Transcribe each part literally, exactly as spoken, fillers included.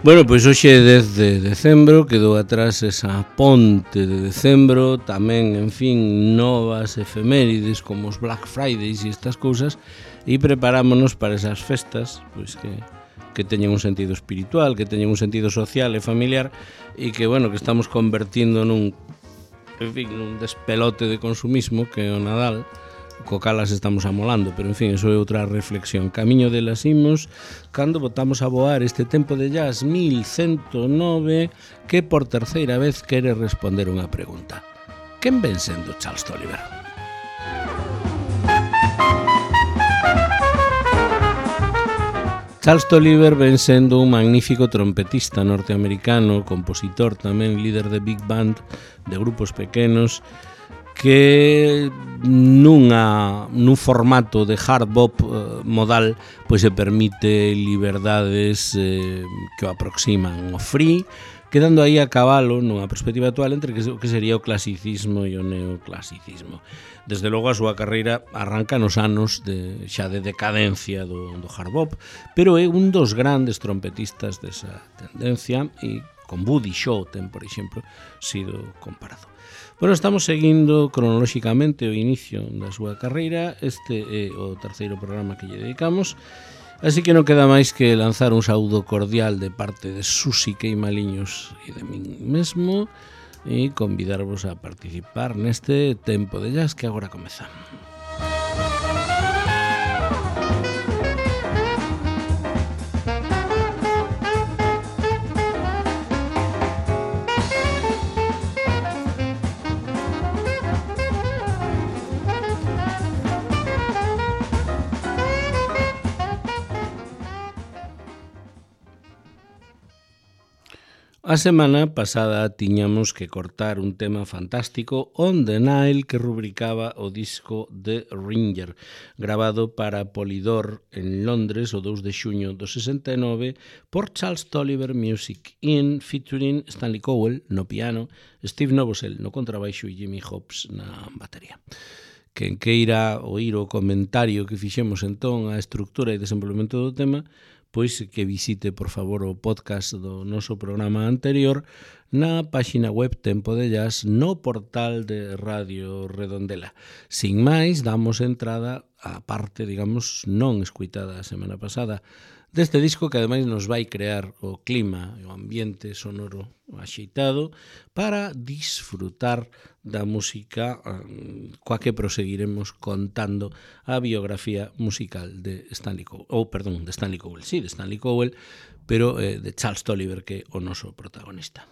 Bueno, pois hoxe é dez de decembro, quedou atrás esa ponte de decembro, tamén, en fin, novas efemérides como os Black Fridays e estas cousas, e preparámonos para esas festas, pois que, que teñen un sentido espiritual, que teñen un sentido social e familiar, e que, bueno, que estamos convertindo nun, en fin, nun despelote de consumismo que é o Nadal, co cal as estamos amolando, pero en fin, eso é outra reflexión. Camiño delas imos cando botamos a voar este tempo de jazz mil ciento nove que por terceira vez quere responder unha pregunta. Quen ven sendo Charles Tolliver? Charles Tolliver ven sendo un magnífico trompetista norteamericano, compositor tamén, líder de big band, de grupos pequenos, que nunha, nun formato de hard bop eh, modal pois se permite liberdades eh, que o aproximan ao free, quedando aí a cabalo nunha perspectiva actual entre que, que sería o clasicismo e o neoclasicismo. Desde logo a súa carreira arranca nos anos de, xa de decadencia do, do hard bop, pero é un dos grandes trompetistas desa tendencia e con Buddy Shaw ten, por exemplo, sido comparado. Bueno, estamos seguindo cronolóxicamente o inicio da súa carreira. Este é o terceiro programa que lle dedicamos, así que non queda máis que lanzar un saúdo cordial de parte de Susi Queimaliños e de min mesmo e convidarvos a participar neste tempo de jazz que agora comeza. A semana pasada tiñamos que cortar un tema fantástico, On the Nile, que rubricaba o disco de Ringer, gravado para Polydor en Londres o dous de xuño do sesenta e nove por Charles Tolliver Music In, featuring Stanley Cowell no piano, Steve Novosel no contrabaixo e Jimmy Hobbs na batería. Quen queira oír o comentario que fixemos entón a estructura e desenvolvemento do tema, pois que visite, por favor, o podcast do noso programa anterior na páxina web Tempo de Jazz no portal de Radio Redondela. Sin máis, damos entrada á parte, digamos, non escuitada a semana pasada deste disco que ademais nos vai crear o clima e o ambiente sonoro axeitado para disfrutar da música coa que proseguiremos contando a biografía musical de Stanley Cowell, ou perdón, de Stanley Cowell, sí, de Stanley Cowell, pero eh, de Charles Tolliver, que é o noso protagonista.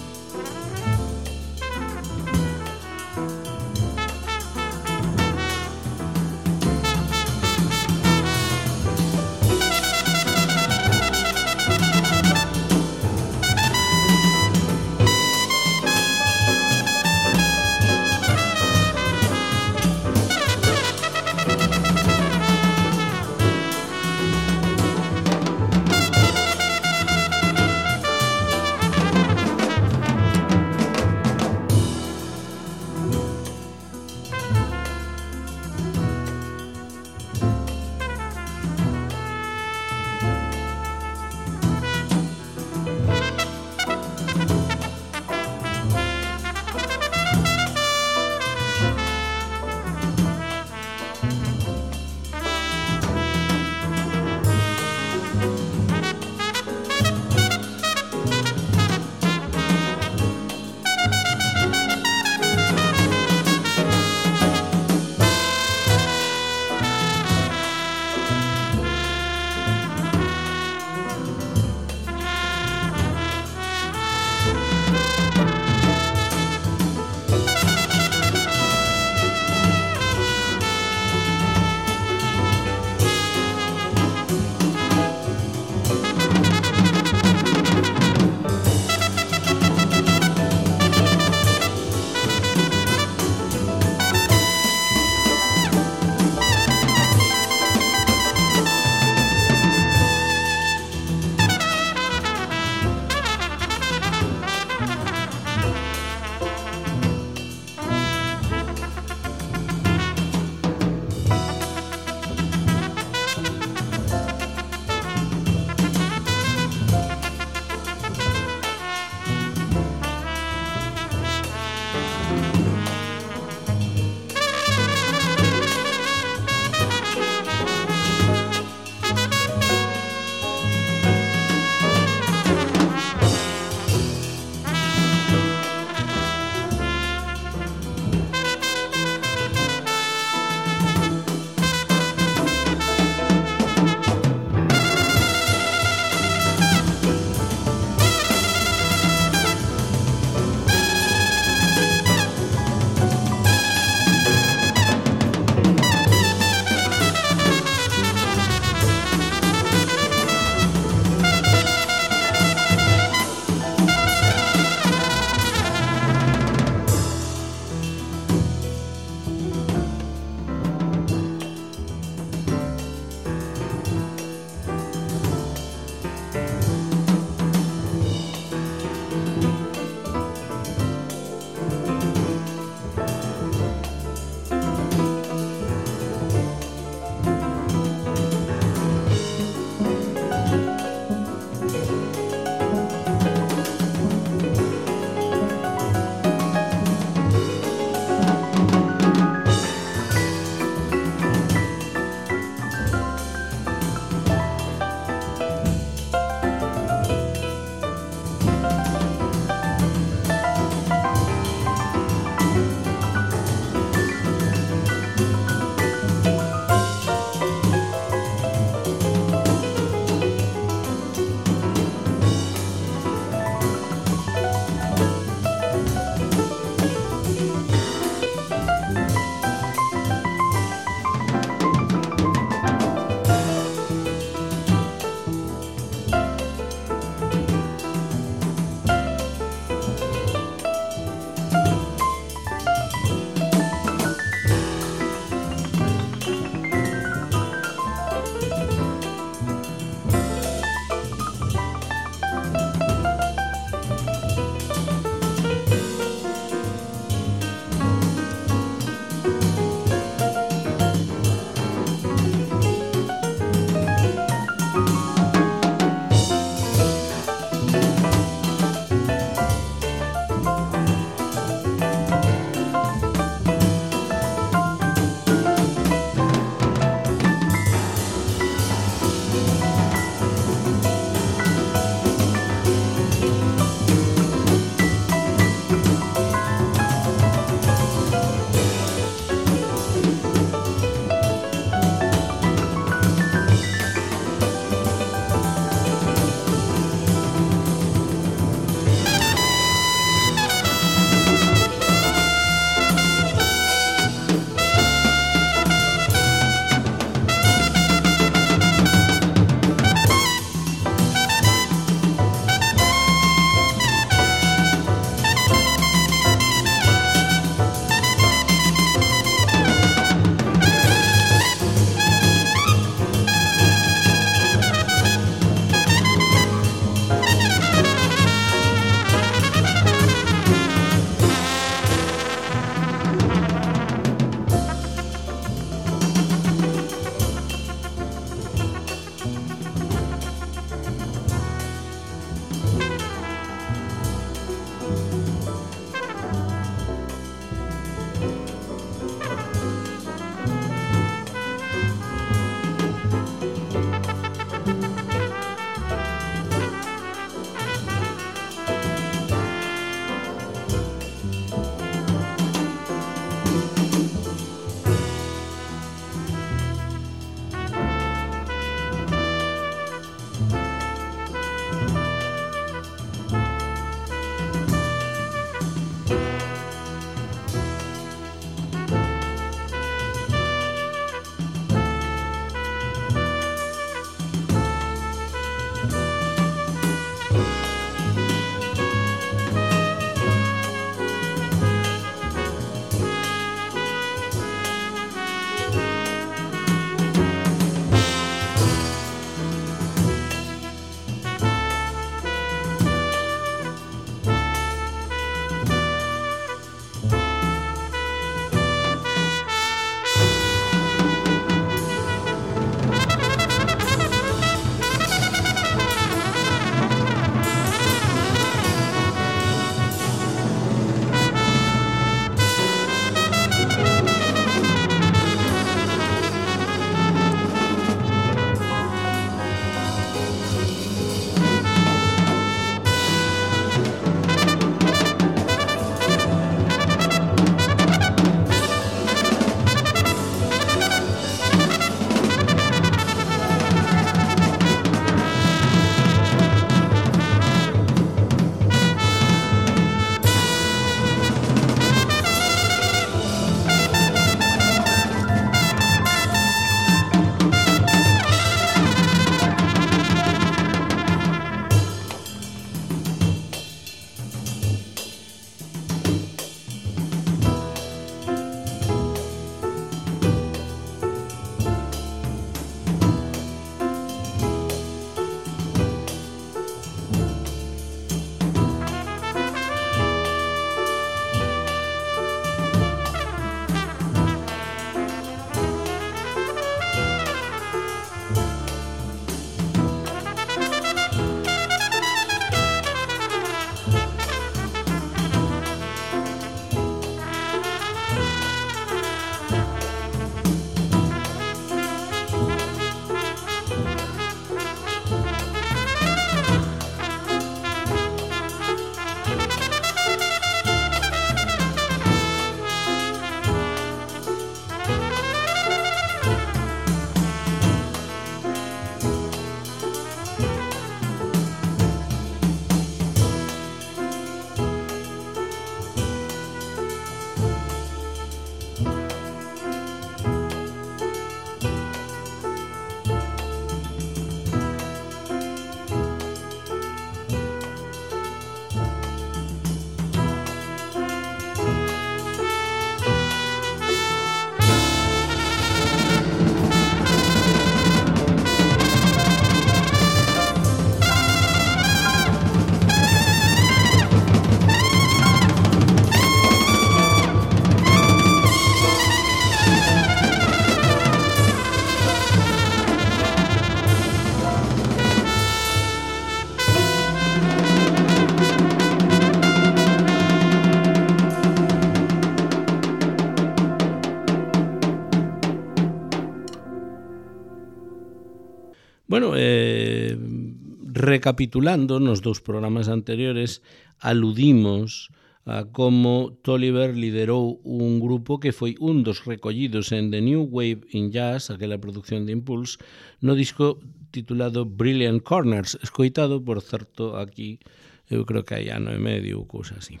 recapitulando, nos dous programas anteriores aludimos a como Tolliver liderou un grupo que foi un dos recollidos en The New Wave in Jazz, aquela produción de Impulse, no disco titulado Brilliant Corners, escoitado, por certo, aquí, eu creo que hai ano e medio ou cousa así.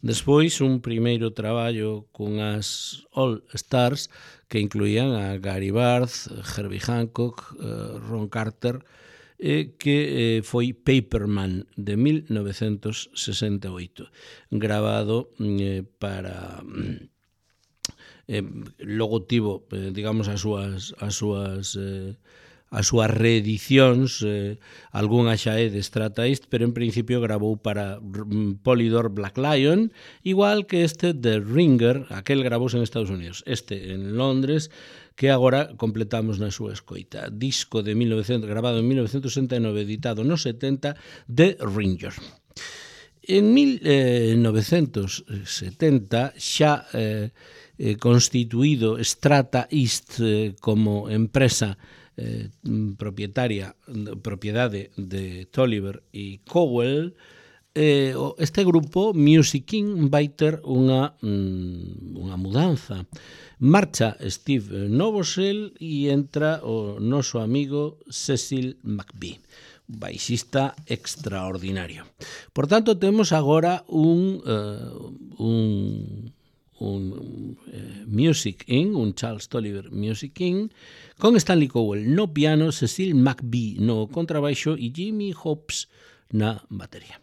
Despois, un primeiro traballo cunhas All Stars que incluían a Gary Barth, Herbie Hancock, Ron Carter, eh, que eh, foi Paperman de mil novecentos sesenta e oito, grabado eh, para eh, logo tivo, eh, digamos, as súas as súas eh, as súas reedicións, eh, algunha xa é de Strata East, pero en principio grabou para Polydor Black Lion, igual que este de Ringer, aquel gravouse en Estados Unidos, este en Londres, que agora completamos na súa escoita. Disco de mil novecientos, grabado en mil novecientos sesenta e nove, editado no setenta, de Ringer. En mil novecentos setenta, xa eh, eh, constituído Strata East eh, como empresa Eh, propietaria, propiedade de Tolliver e Cowell, eh, este grupo, Music King, vai ter unha, unha mudanza. Marcha Steve Novosel e entra o noso amigo Cecil McBee, baixista extraordinario. Por tanto, temos agora un... Uh, un un eh, Music In, un Charles Tolliver Music In, con Stanley Cowell no piano, Cecil McBee no contrabaixo e Jimmy Hobbs na batería.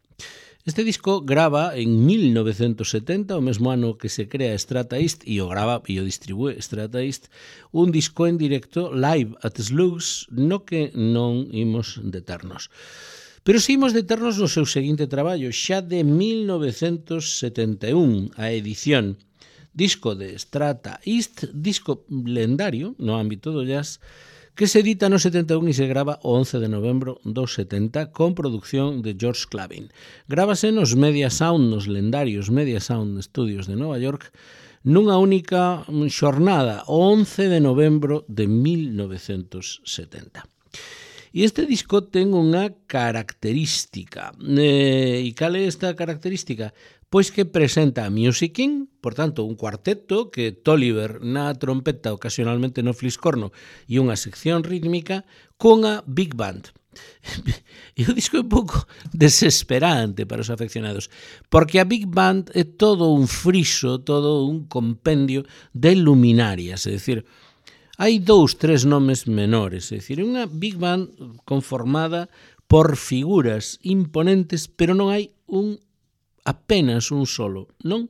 Este disco grava en mil novecentos setenta, o mesmo ano que se crea Strata East, e o grava e o distribúe Strata East, un disco en directo, Live at Slugs, no que non imos deternos. Pero si imos deternos no seu seguinte traballo, xa de mil novecentos setenta e un, a edición disco de Strata East, disco lendario no ámbito do jazz, que se edita no setenta e un e se grava o once de novembro do setenta con producción de George Clavin. Grábase nos Media Sound, nos lendarios Media Sound Studios de Nova York, nunha única xornada, o once de novembro de mil novecentos setenta. E este disco ten unha característica. Eh, e cal é esta característica? Pois que presenta a Music King, por tanto, un cuarteto que Tolliver na trompeta, ocasionalmente no fliscorno, e unha sección rítmica con a Big Band. E o disco é un pouco desesperante para os afeccionados, porque a Big Band é todo un friso, todo un compendio de luminarias, é dicir, hai dous, tres nomes menores, é dicir, unha Big Band conformada por figuras imponentes, pero non hai un apenas un solo, non?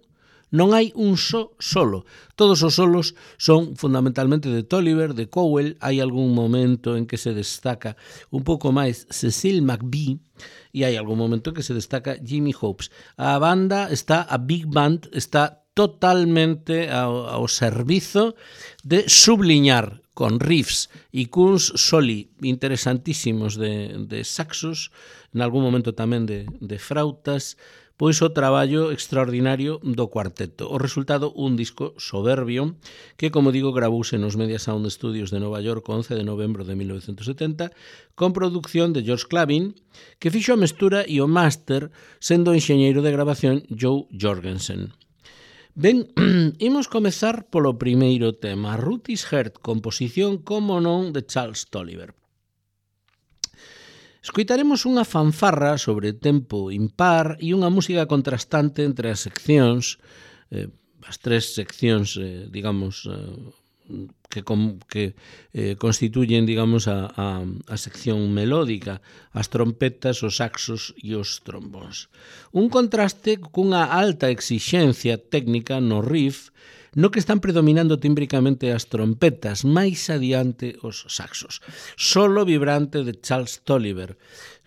Non hai un só solo. Todos os solos son fundamentalmente de Tolliver, de Cowell. Hai algún momento en que se destaca un pouco máis Cecil McBee e hai algún momento en que se destaca Jimmy Hobbs. A banda está, a Big Band está totalmente ao, ao servizo de subliñar con riffs e cuns soli interesantísimos de, de saxos, en algún momento tamén de, de frautas, pois o traballo extraordinario do cuarteto. O resultado, un disco soberbio que, como digo, gravouse nos Media Sound Studios de Nova York o once de novembro de mil novecentos setenta con producción de George Clavin, que fixo a mestura e o máster sendo o enxeñeiro de grabación Joe Jorgensen. Ben, imos comezar polo primeiro tema, Ruthie's Heart, composición, como non, de Charles Tolliver. Escoitaremos unha fanfarra sobre tempo impar e unha música contrastante entre as seccións, eh, as tres seccións, eh, digamos, eh, que, com, que eh, constituyen, digamos, a, a, a sección melódica, as trompetas, os saxos e os trombóns. Un contraste cunha alta exixencia técnica no riff, no que están predominando tímbricamente as trompetas, máis adiante os saxos. Solo vibrante de Charles Tolliver,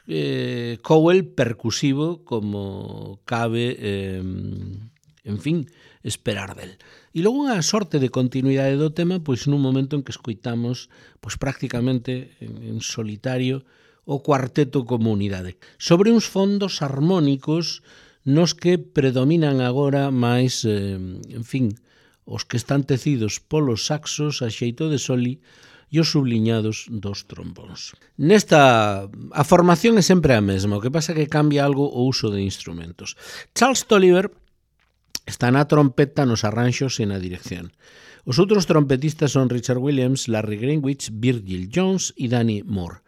eh, Cowell percusivo como cabe, eh, en fin, esperar del. E logo unha sorte de continuidade do tema, pois nun momento en que escoitamos pois prácticamente en, en solitario o cuarteto como unidade, sobre uns fondos armónicos nos que predominan agora máis, eh, en fin, os que están tecidos polos saxos a xeito de soli e os subliñados dos trombóns. Nesta, a formación é sempre a mesma, o que pasa que cambia algo o uso de instrumentos. Charles Tolliver está na trompeta, nos arranxos e na dirección. Os outros trompetistas son Richard Williams, Larry Greenwich, Virgil Jones e Danny Moore.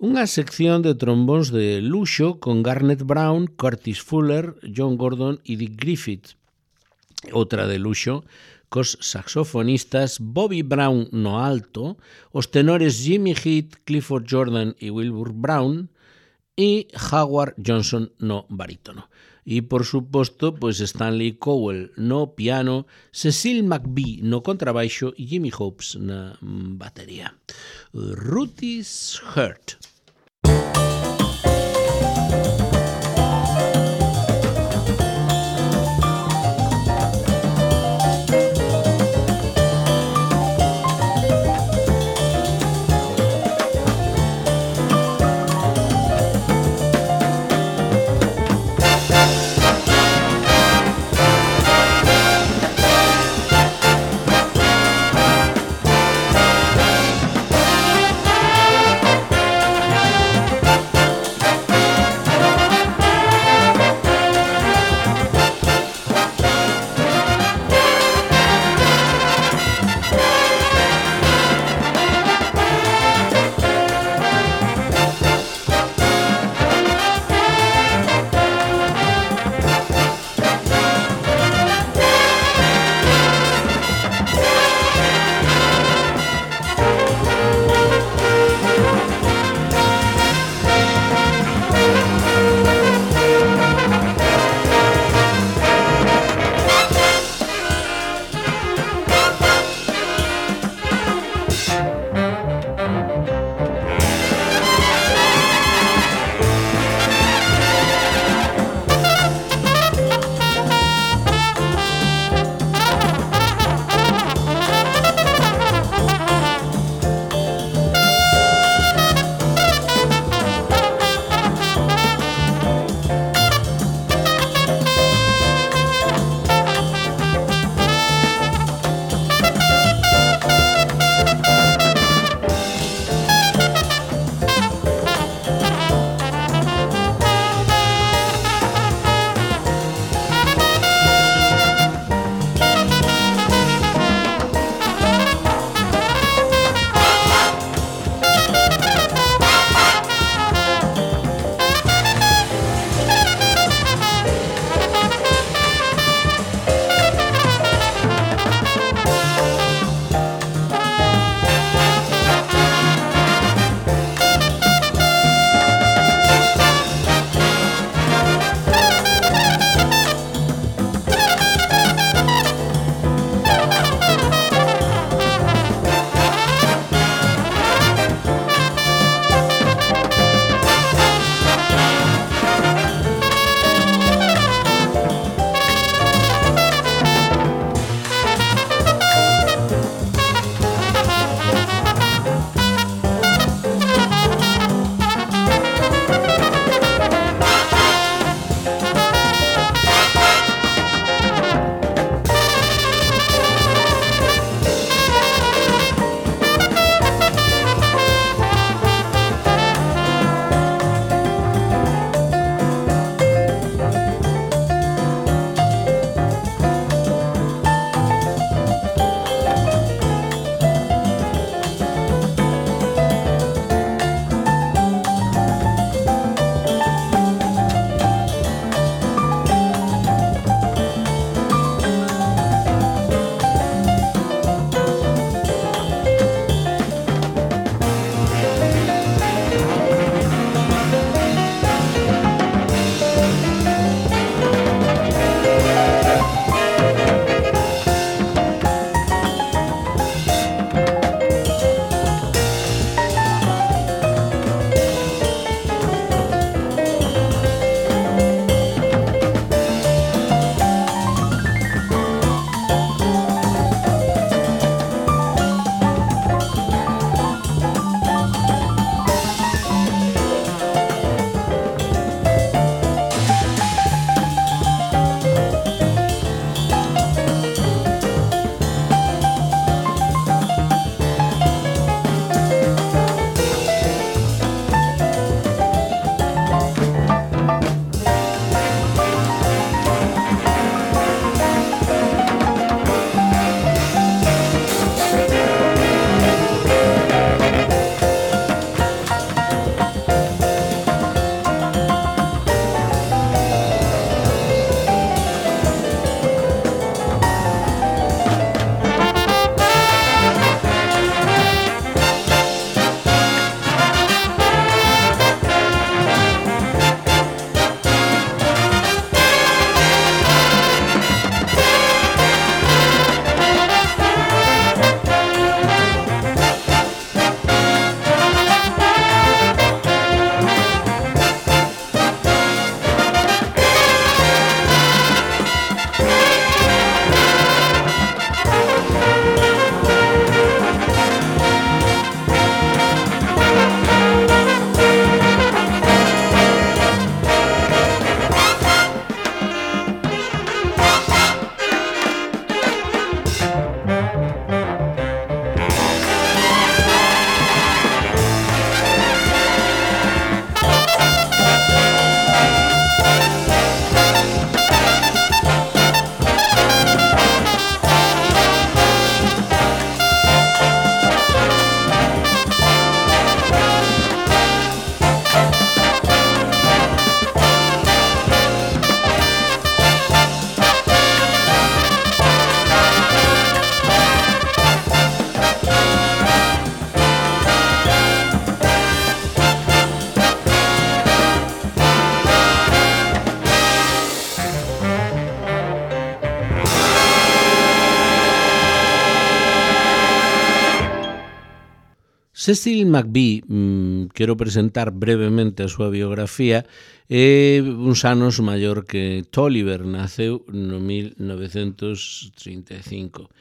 Unha sección de trombóns de luxo con Garnet Brown, Curtis Fuller, John Gordon e Dick Griffith. Outra de luxo cos saxofonistas Bobby Brown no alto, os tenores Jimmy Heath, Clifford Jordan e Wilbur Brown e Howard Johnson no barítono. E, por suposto, pois Stanley Cowell no piano, Cecil McBee no contrabaixo e Jimmy Hopes na batería. Ruthie's Heart. Cecil McVie, mmm, quero presentar brevemente a súa biografía, é uns anos maior que Tolliver, naceu no mil novecentos trinta e cinco.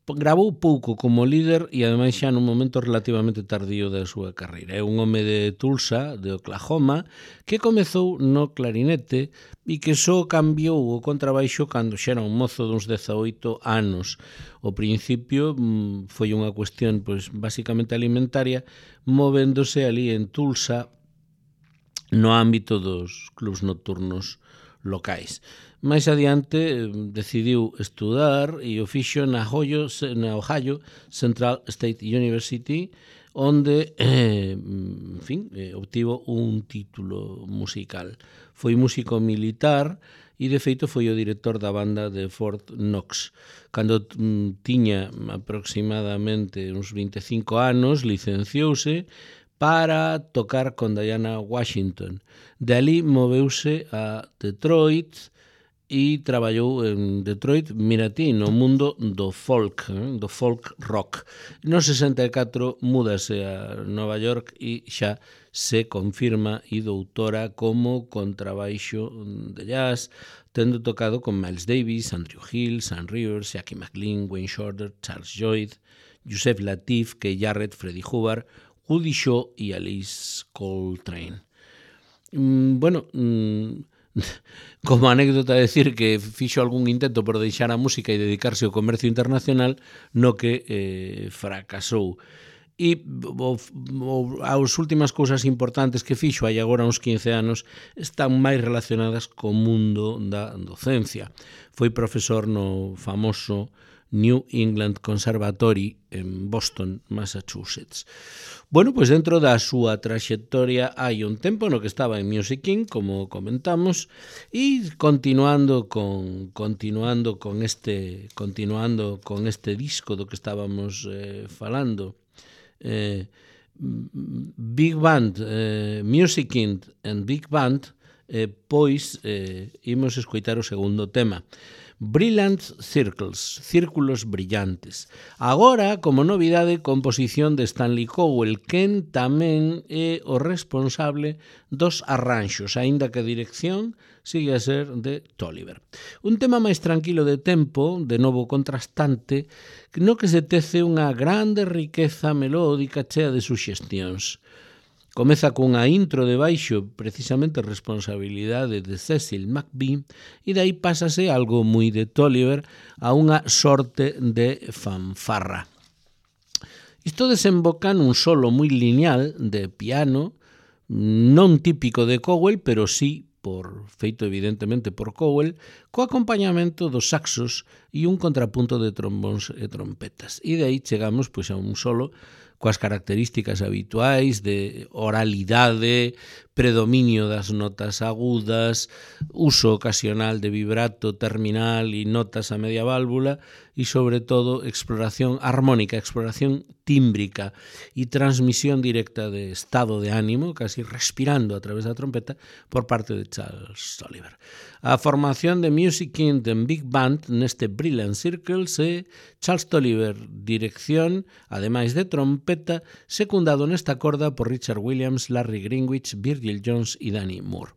Gravou pouco como líder e ademais xa nun momento relativamente tardío da súa carreira. É un home de Tulsa, de Oklahoma, que comezou no clarinete e que só cambiou o contrabaixo cando xa era un mozo duns dezaoito anos. Ao principio foi unha cuestión pois basicamente alimentaria, movéndose ali en Tulsa no ámbito dos clubs nocturnos locais. Máis adiante decidiu estudar e o fixo na Ohio, na Ohio Central State University, onde, eh, en fin, eh, obtivo un título musical. Foi músico militar e, de feito, foi o director da banda de Fort Knox. Cando mm, tiña aproximadamente uns vinte e cinco anos, licenciouse para tocar con Diana Washington. De ali moveuse a Detroit e traballou en Detroit, mira ti, no mundo do folk, eh, do folk rock. No sesenta e catro múdase a Nova York e xa se confirma e doutora como contrabaixo de jazz, tendo tocado con Miles Davis, Andrew Hill, Sam Rivers, Jackie McLean, Wayne Shorter, Charles Lloyd, Yusef Lateef, Keith Jarrett, Freddie Hubbard, Woody Shaw e Alice Coltrane. Mm, bueno, mm, como anécdota decir que fixo algún intento por deixar a música e dedicarse ao comercio internacional, no que eh, fracasou. E o, o, as últimas cousas importantes que fixo hai agora uns quince anos están máis relacionadas co mundo da docencia. Foi profesor no famoso New England Conservatory en Boston, Massachusetts. Bueno, pois dentro da súa traxectoria hai un tempo no que estaba en Music King, como comentamos, e continuando con continuando con este continuando con este disco do que estábamos eh, falando, eh, Big Band, eh, Music King and Big Band, eh, pois eh, imos escoitar o segundo tema. Brilliant Circles, Círculos Brillantes. Agora, como novidade, composición de Stanley Cowell, quen tamén é o responsable dos arranxos, aínda que a dirección sigue a ser de Tolliver. Un tema máis tranquilo de tempo, de novo contrastante, no que se tece unha grande riqueza melódica chea de suxestións. Comeza cunha intro de baixo, precisamente responsabilidade de Cecil McVie, e dai pásase algo moi de Tolliver a unha sorte de fanfarra. Isto desemboca nun solo moi lineal de piano, non típico de Cowell, pero sí por feito evidentemente por Cowell, co acompañamento dos saxos e un contrapunto de trombóns e trompetas. E de aí chegamos pois, a un solo coas características habituais de oralidade, predominio das notas agudas, uso ocasional de vibrato terminal e notas a media válvula e, sobre todo, exploración armónica, exploración tímbrica e transmisión directa de estado de ánimo, casi respirando a través da trompeta, por parte de Charles Tolliver. A formación de Music King and Big Band neste Brilliant Circles é Charles Tolliver, dirección, ademais de trompeta, secundado nesta corda por Richard Williams, Larry Greenwich, Virgil Jones e Danny Moore.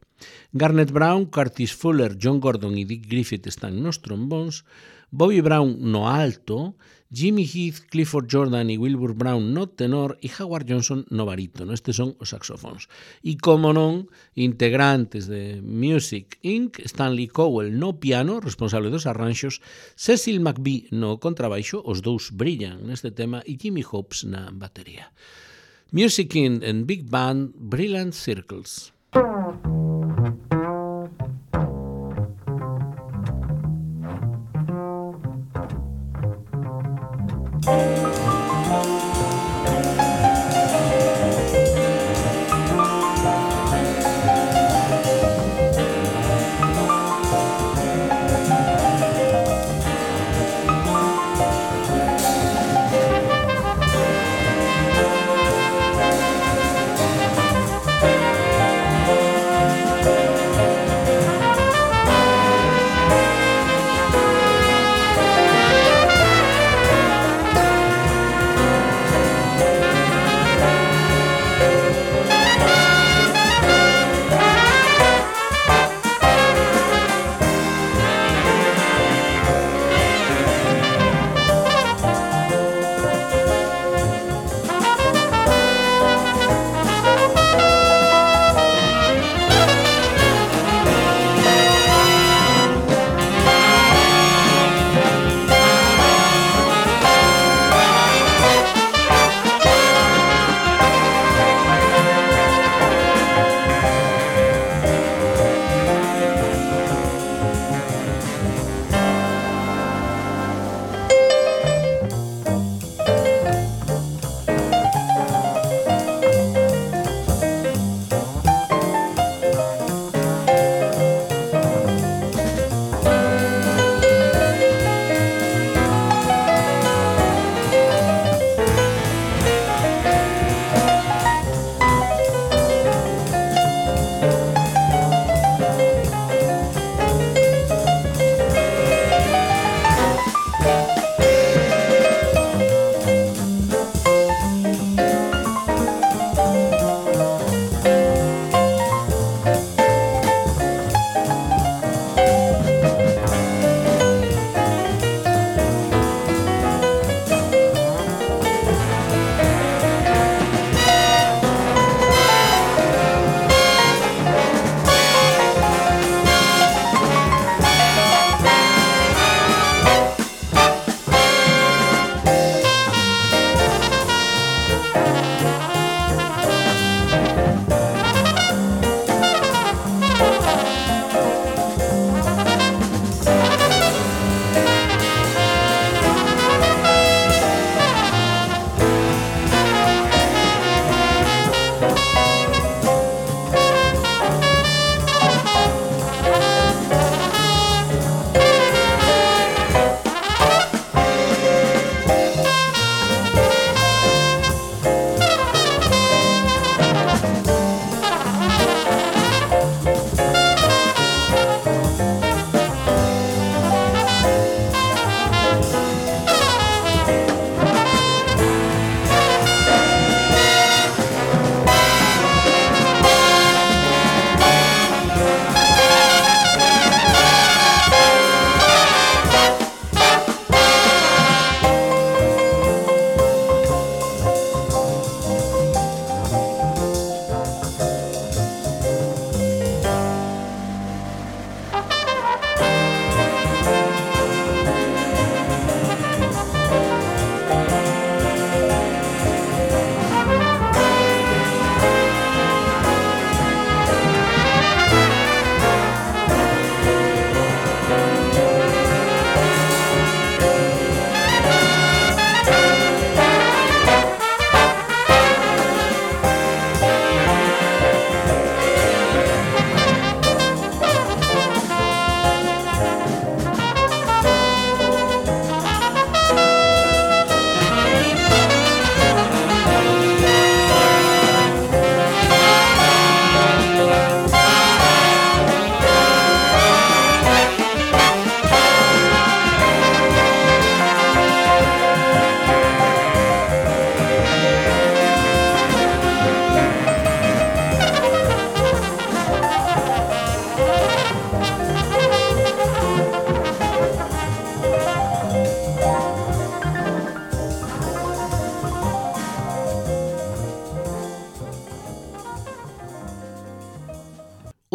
Garnet Brown, Curtis Fuller, John Gordon e Dick Griffith están nos trombóns, Bobby Brown no alto, Jimmy Heath, Clifford Jordan e Wilbur Brown no tenor e Howard Johnson no barítono. Estes son os saxofóns. E, como non, integrantes de Music incorporated, Stanley Cowell no piano, responsable dos arranxos, Cecil McVie no contrabaixo, os dous brillan neste tema, e Jimmy Hobbs na batería. Music King and Big Band, Brilliant Circles.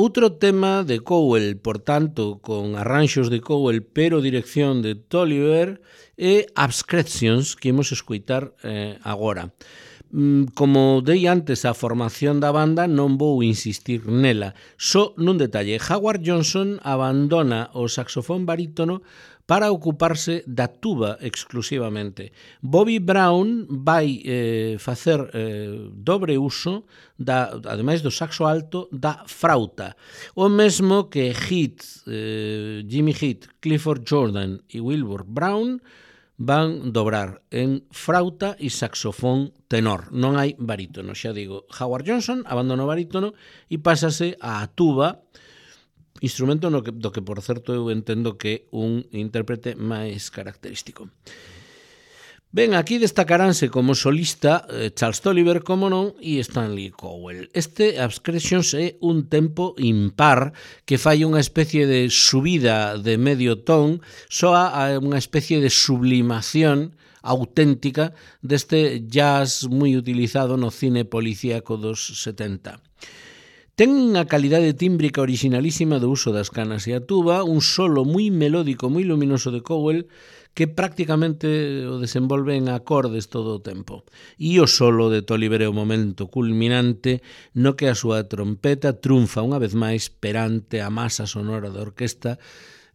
outro tema de Cowell, por tanto, con arranxos de Cowell, pero dirección de Tolliver, e Abscretions, que imos escoitar eh, agora. Como dei antes a formación da banda, non vou insistir nela. Só nun detalle, Howard Johnson abandona o saxofón barítono para ocuparse da tuba exclusivamente. Bobby Brown vai eh, facer eh, dobre uso, da, ademais do saxo alto, da frauta. O mesmo que Heath, eh, Jimmy Heath, Clifford Jordan e Wilbur Brown van dobrar en frauta e saxofón tenor. Non hai barítono, xa digo. Howard Johnson abandona o barítono e pásase á tuba, instrumento no que, do que, por certo, eu entendo que é un intérprete máis característico. Ben, aquí destacaránse como solista eh, Charles Tolliver, como non, e Stanley Cowell. Este Abscretions é un tempo impar que fai unha especie de subida de medio ton, soa a unha especie de sublimación auténtica deste jazz moi utilizado no cine policíaco dos setenta. Ten unha calidade tímbrica originalísima do uso das canas e a tuba, un solo moi melódico, moi luminoso de Cowell, que prácticamente o desenvolve en acordes todo o tempo. E o solo de Tolliver é o momento culminante no que a súa trompeta triunfa unha vez máis perante a masa sonora da orquesta,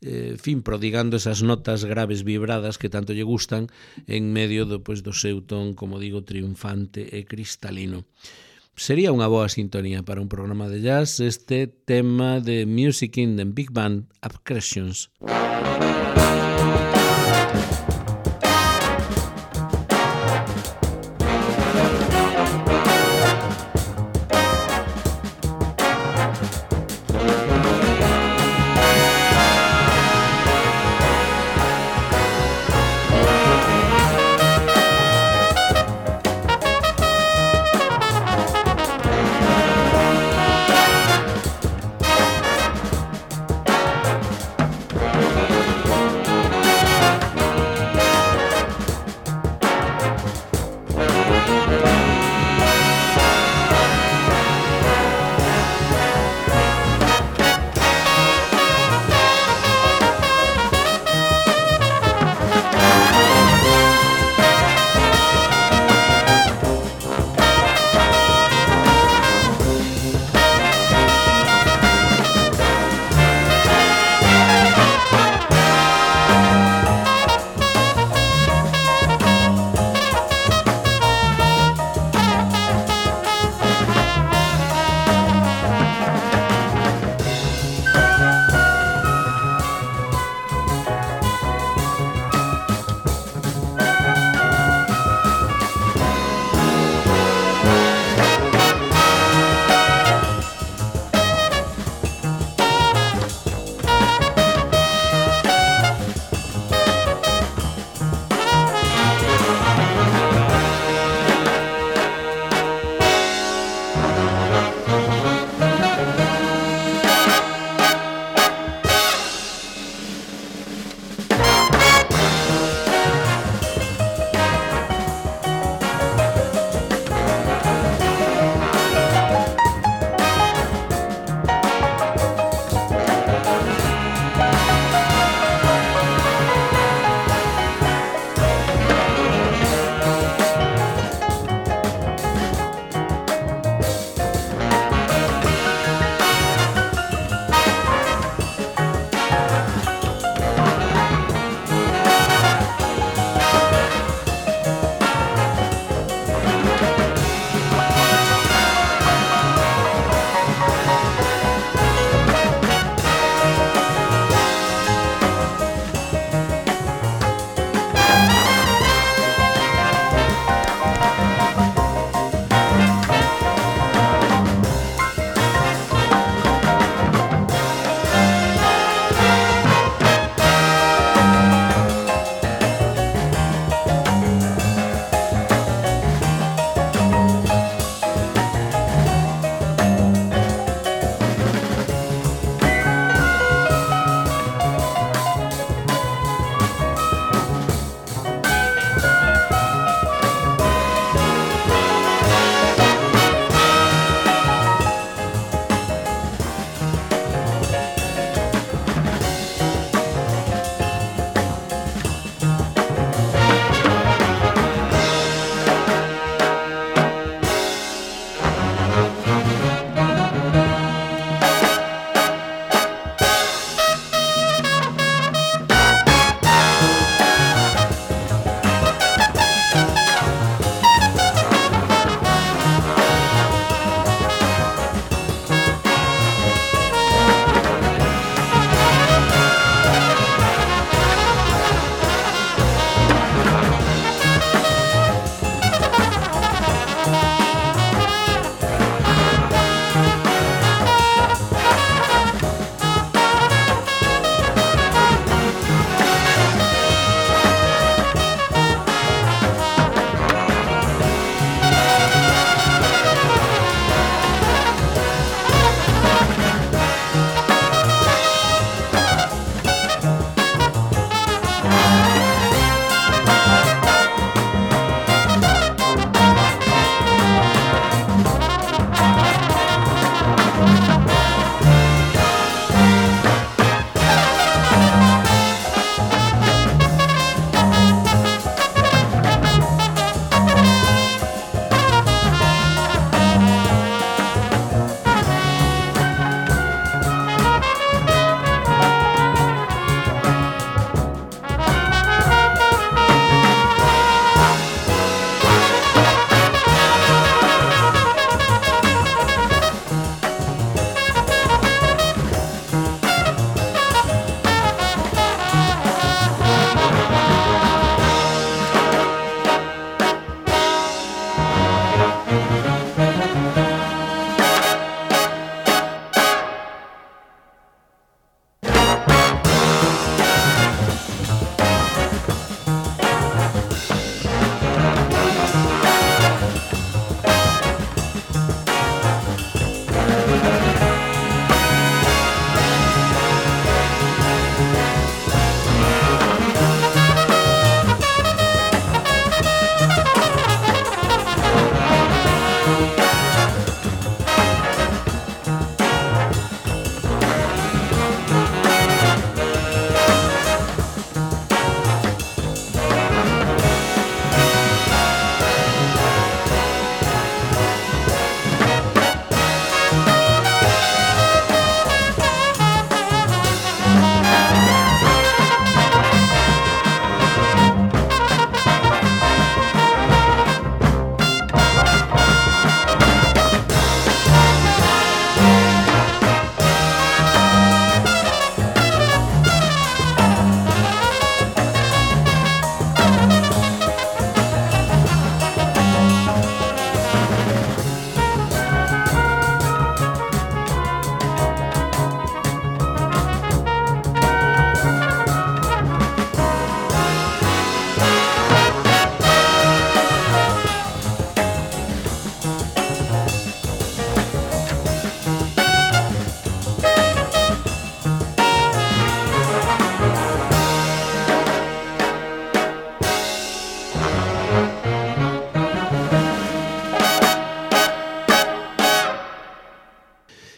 eh, fin, prodigando esas notas graves vibradas que tanto lle gustan en medio do, pues, do seu ton, como digo, triunfante e cristalino. Sería unha boa sintonía para un programa de jazz este tema de Music in the Big Band, Abscretions.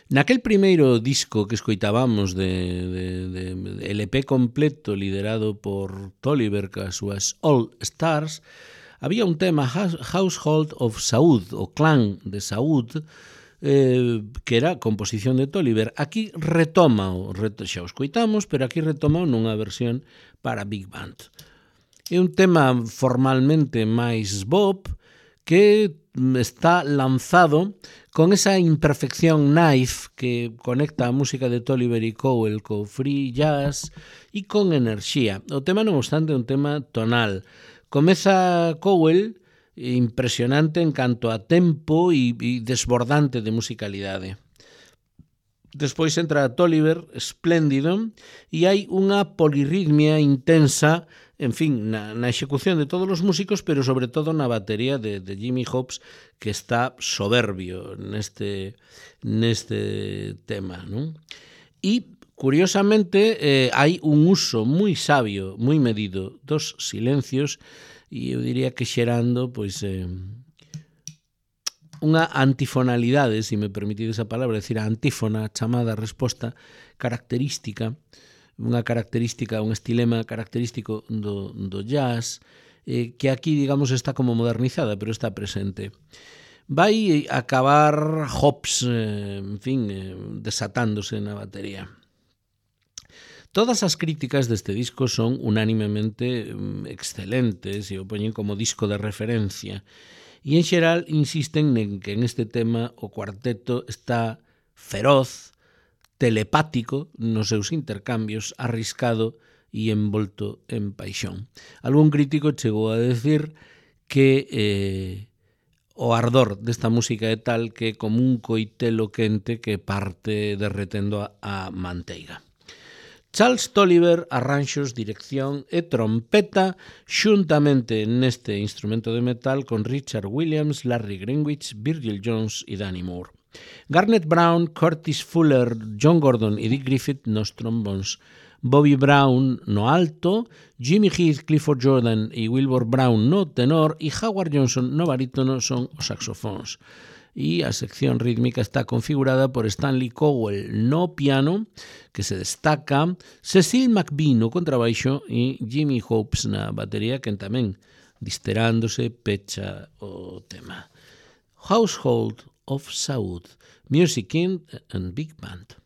Naquel primeiro disco que escoitábamos de, de, de, de L P completo liderado por Tolliver cas súas All Stars, había un tema, Household of Saud, o Clan de Saud, eh, que era composición de Tolliver. Aquí retoma, xa o escoitamos, pero aquí retoma nunha versión para Big Band. É un tema formalmente máis bop que está lanzado con esa imperfección knife que conecta a música de Tolliver e Cowell co free jazz e con enerxía. O tema, non obstante, é un tema tonal. Comeza Cowell impresionante en canto a tempo e, e desbordante de musicalidade. Despois entra Tolliver, espléndido, e hai unha polirritmia intensa, en fin, na, na execución de todos os músicos, pero sobre todo na batería de, de Jimmy Hobbs, que está soberbio neste, neste tema, non? E, curiosamente, eh, hai un uso moi sabio, moi medido dos silencios, e eu diría que xerando, pois, eh, unha antifonalidade, se me permitides a palabra, é dicir, a antífona chamada resposta característica, unha característica, un estilema característico do, do jazz, eh, que aquí, digamos, está como modernizada, pero está presente. Vai acabar Hobbs, eh, en fin, eh, desatándose na batería. Todas as críticas deste disco son unánimemente excelentes e o poñen como disco de referencia. E en xeral insisten en que en este tema o cuarteto está feroz, telepático nos seus intercambios, arriscado e envolto en paixón. Algún crítico chegou a decir que eh, o ardor desta música é tal que é como un coitelo quente que parte derretendo a, a manteiga. Charles Tolliver, arranxos, dirección e trompeta xuntamente neste instrumento de metal con Richard Williams, Larry Greenwich, Virgil Jones e Danny Moore. Garnet Brown, Curtis Fuller, John Gordon e Dick Griffith nos trombóns, Bobby Brown no alto, Jimmy Heath, Clifford Jordan e Wilbur Brown no tenor e Howard Johnson no barítono son os saxofóns. E a sección rítmica está configurada por Stanley Cowell no piano, que se destaca, Cecil McBee no contrabaixo e Jimmy Hobbs na batería, que tamén, disterándose, pecha o tema. Household of Saud, Music in and Big Band.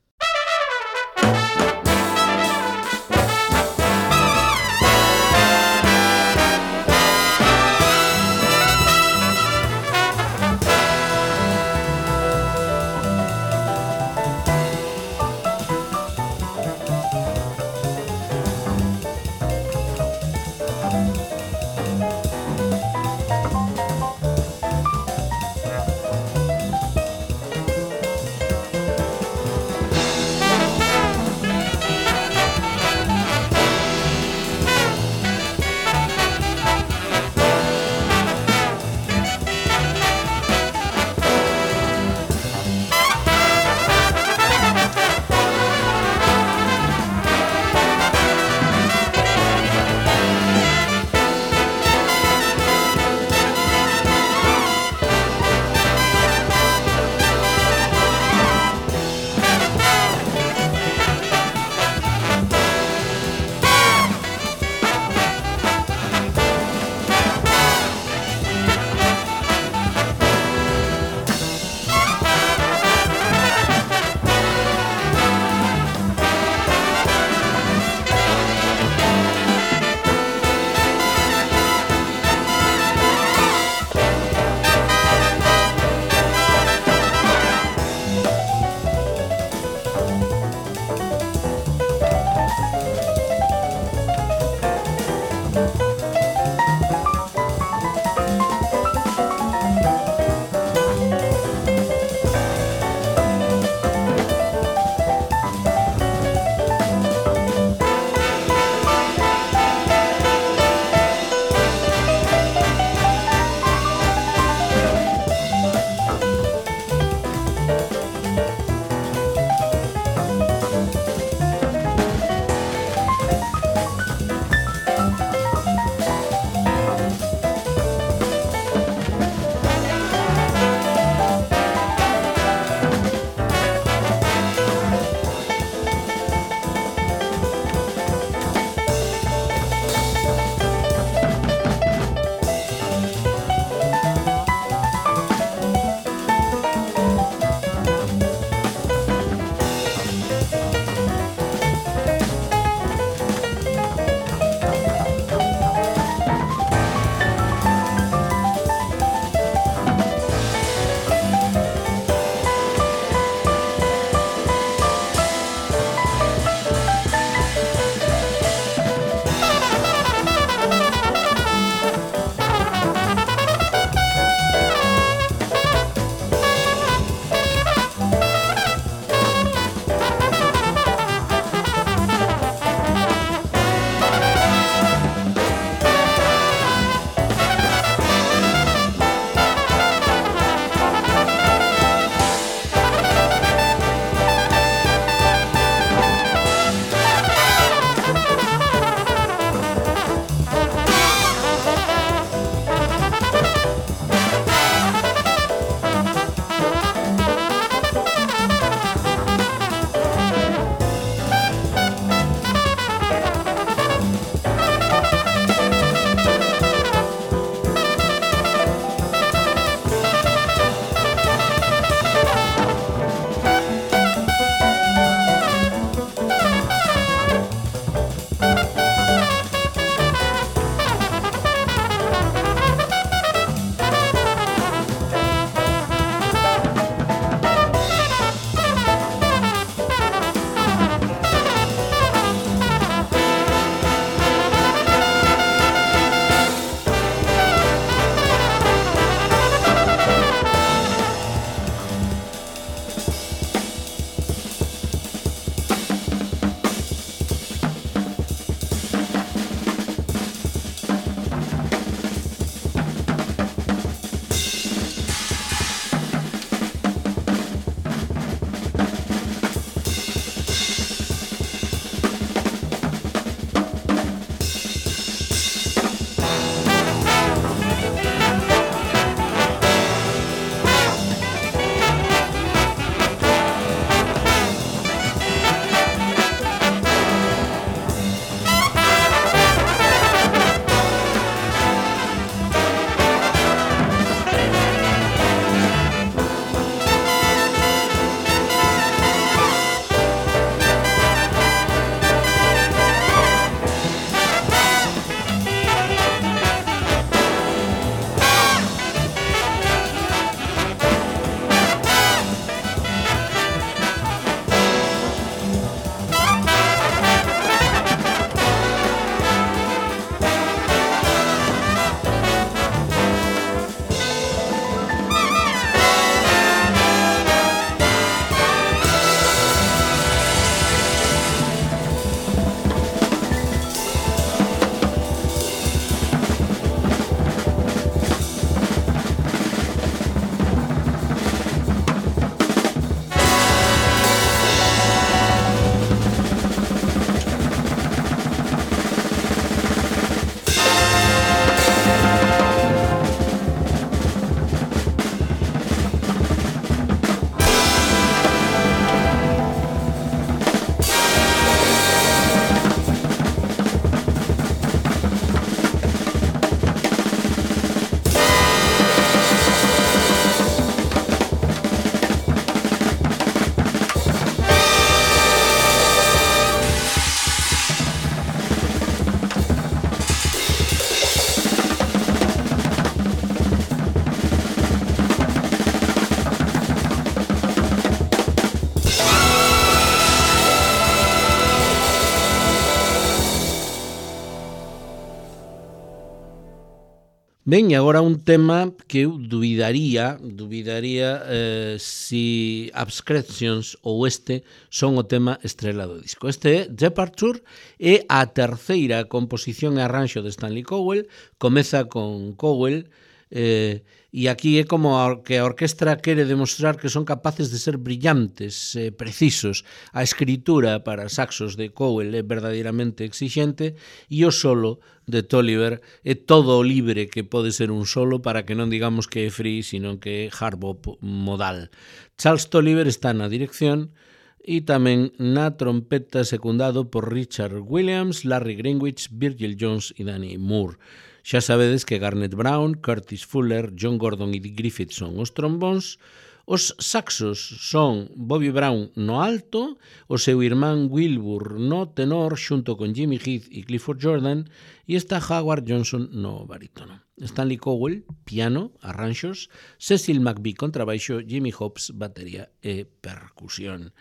Ben, e agora un tema que eu dubidaría, dubidaría eh, si Abstractions ou este son o tema estrela do disco. Este é Departure, e a terceira composición e arranxo de Stanley Cowell, comeza con Cowell, eh, e aquí é como a, que a orquestra quere demostrar que son capaces de ser brillantes, eh, precisos. A escritura para saxos de Cowell é verdadeiramente exixente, e o solo de Tolliver é todo o libre que pode ser un solo, para que non digamos que é free, sino que é hard bop modal. Charles Tolliver está na dirección e tamén na trompeta, secundado por Richard Williams, Larry Greenwich, Virgil Jones e Danny Moore. Xa sabedes que Garnet Brown, Curtis Fuller, John Gordon e Dick Griffith son os trombóns, os saxos son Bobby Brown no alto, o seu irmán Wilbur no tenor, xunto con Jimmy Heath e Clifford Jordan, e está Howard Johnson no barítono. Stanley Cowell, piano, arranxos, Cecil McVie, contrabaixo, Jimmy Hobbs, batería e percusión.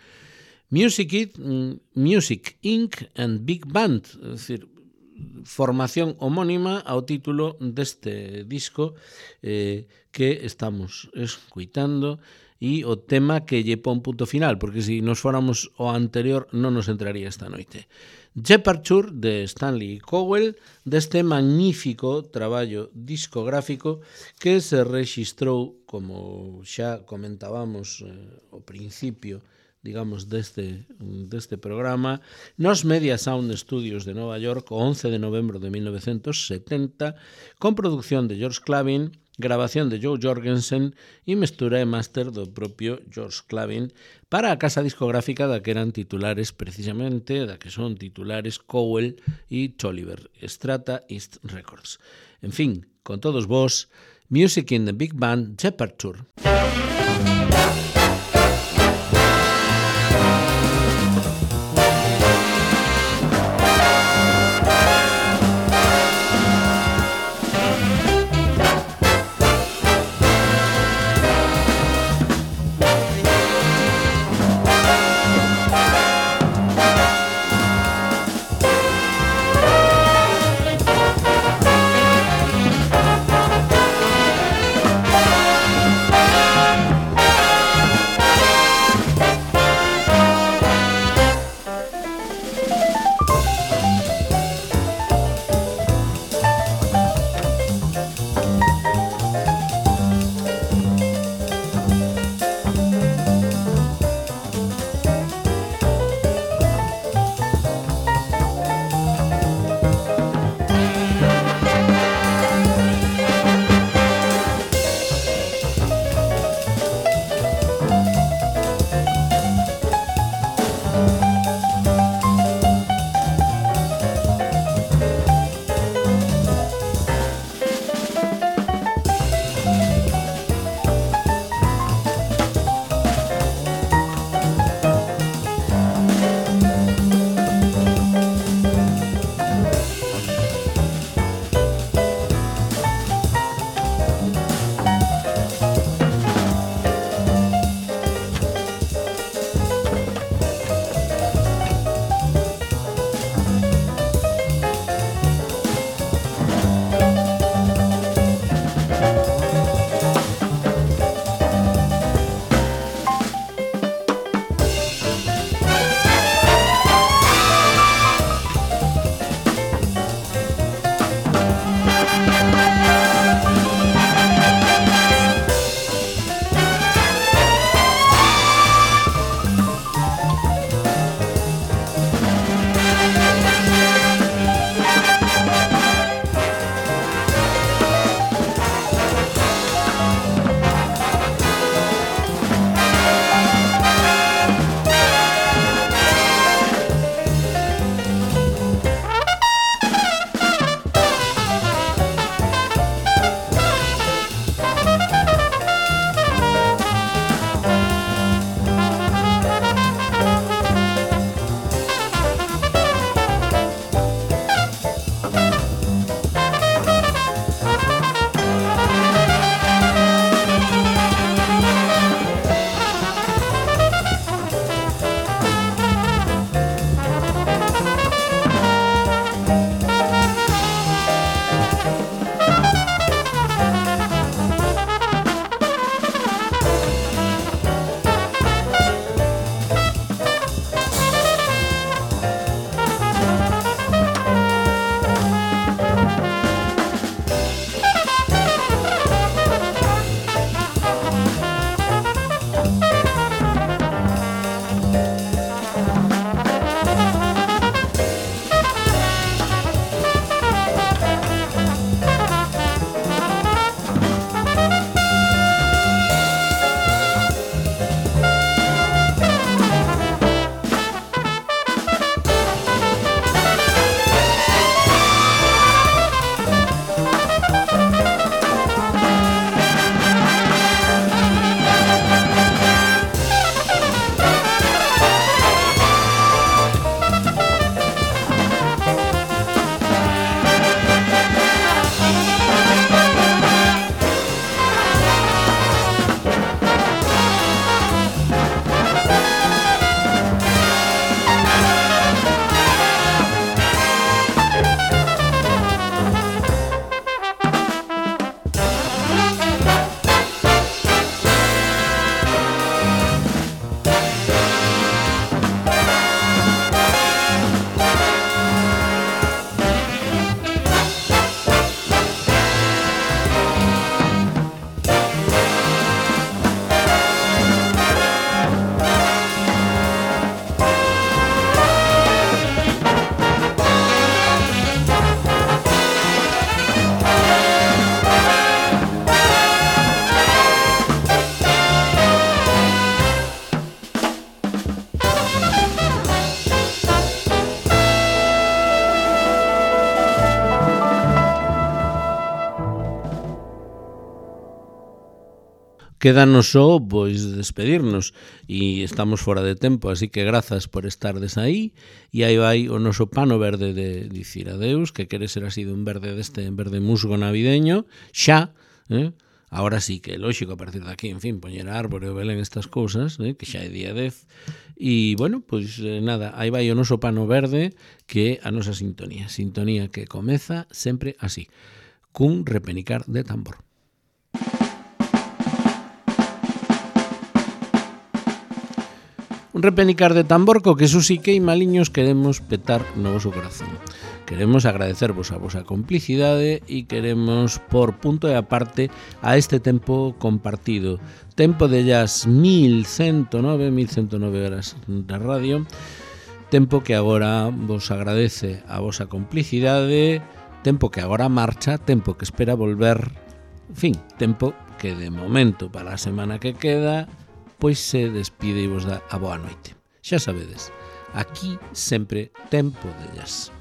Music, It, Music incorporated and Big Band, é dicir, formación homónima ao título deste disco eh, que estamos escuitando, e o tema que lle pon punto final, porque se nos fóramos ao anterior non nos entraría esta noite. Departure, de Stanley Cowell, deste magnífico traballo discográfico que se rexistrou, como xa comentábamos eh, ao principio, digamos, deste, deste programa, nos Media Sound Studios de Nova York, o once de novembro de mil novecientos setenta, con producción de George Clavin, grabación de Joe Jorgensen e mestura e máster do propio George Clavin, para a casa discográfica da que eran titulares, precisamente, da que son titulares Cowell e Tolliver, Strata East Records. En fin, con todos vos, Music in the Big Band, Departure. quédanos só pois despedirnos e estamos fora de tempo, así que grazas por estardes aí e aí vai o noso pano verde de dicir adeus, que quere ser así dun verde deste verde musgo navideño, xa, eh? Ahora sí que é lógico a partir de aquí, en fin, poñer a árbore o Belén estas cousas, eh? Que xa é día dez. E, bueno, pois eh, nada, aí vai o noso pano verde, que é a nosa sintonía. Sintonía que comeza sempre así, cun repenicar de tambor. Un repenicar de tambor co que Susi que e maliños queremos petar no voso corazón. Queremos agradecervos a vosa complicidade e queremos por punto e aparte a este tempo compartido. Tempo de llas mil ciento nove horas da radio. Tempo que agora vos agradece a vosa complicidade. Tempo que agora marcha. Tempo que espera volver. En fin, tempo que de momento para a semana que queda pois se despide e vos dá a boa noite. Xa sabedes, aquí sempre tempo de jazz.